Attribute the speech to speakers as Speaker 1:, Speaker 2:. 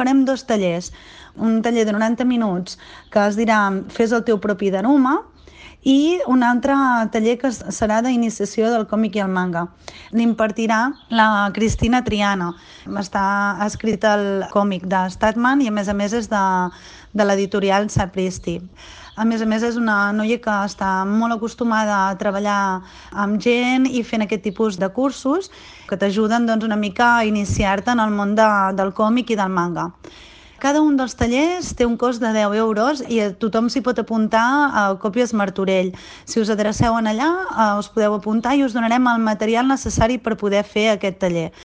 Speaker 1: farem 2 tallers. Un taller de 90 minuts que es dirà Fes el teu propi Daruma, i un altre taller que serà d'iniciació del còmic i el manga. L'impartirà la Cristina Triana. Està escrit el còmic de Statman i a més és de l'editorial Sapristi. A més, és una noia que està molt acostumada a treballar amb gent i fent aquest tipus de cursos que t'ajuden una mica a iniciar-te en el món del còmic i del manga. Cada un dels tallers té un cost de 10 euros i tothom s'hi pot apuntar a Còpies Martorell. Si us adreceu allà, us podeu apuntar i us donarem el material necessari per poder fer aquest taller.